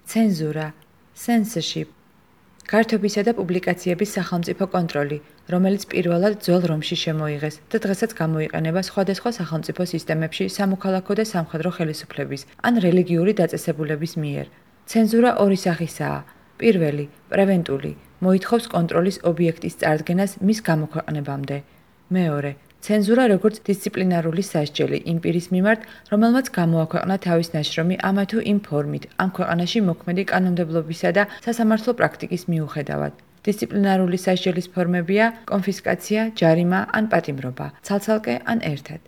ცენზურა, censorship, გართობისა და პუბლიკაციების სახელმწიფო კონტროლი, რომელიც პირველად ძველ რომში შემოიღეს და დღესაც გამოიყენება სხვადასხვა სახელმწიფო სისტემებში სამოქალაქო და სამხედრო ხელისუფლების ან რელიგიური დაწესებულების მიერ. ცენზურა ორი სახისაა. პირველი, პრევენტული, მოითხოვს კონტროლის ობიექტის წარდგენას მის გამოქვეყნებამდე. მეორე, ცენზურა როგორც დისციპლინარული სასჯელი იმ პირის მიმართ, რომელმაც გამოაქვეყნა თავის ნაშრომი ამა თუ იმ ფორმით, ამ ქვეყანაში მოქმედი კანონმდებლობისა და სასამართლო პრაქტიკის მიუხედავად. დისციპლინარული სასჯელის ფორმებია კონფისკაცია, ჯარიმა ან პატიმრობა, ცალ-ცალკე ან ერთად.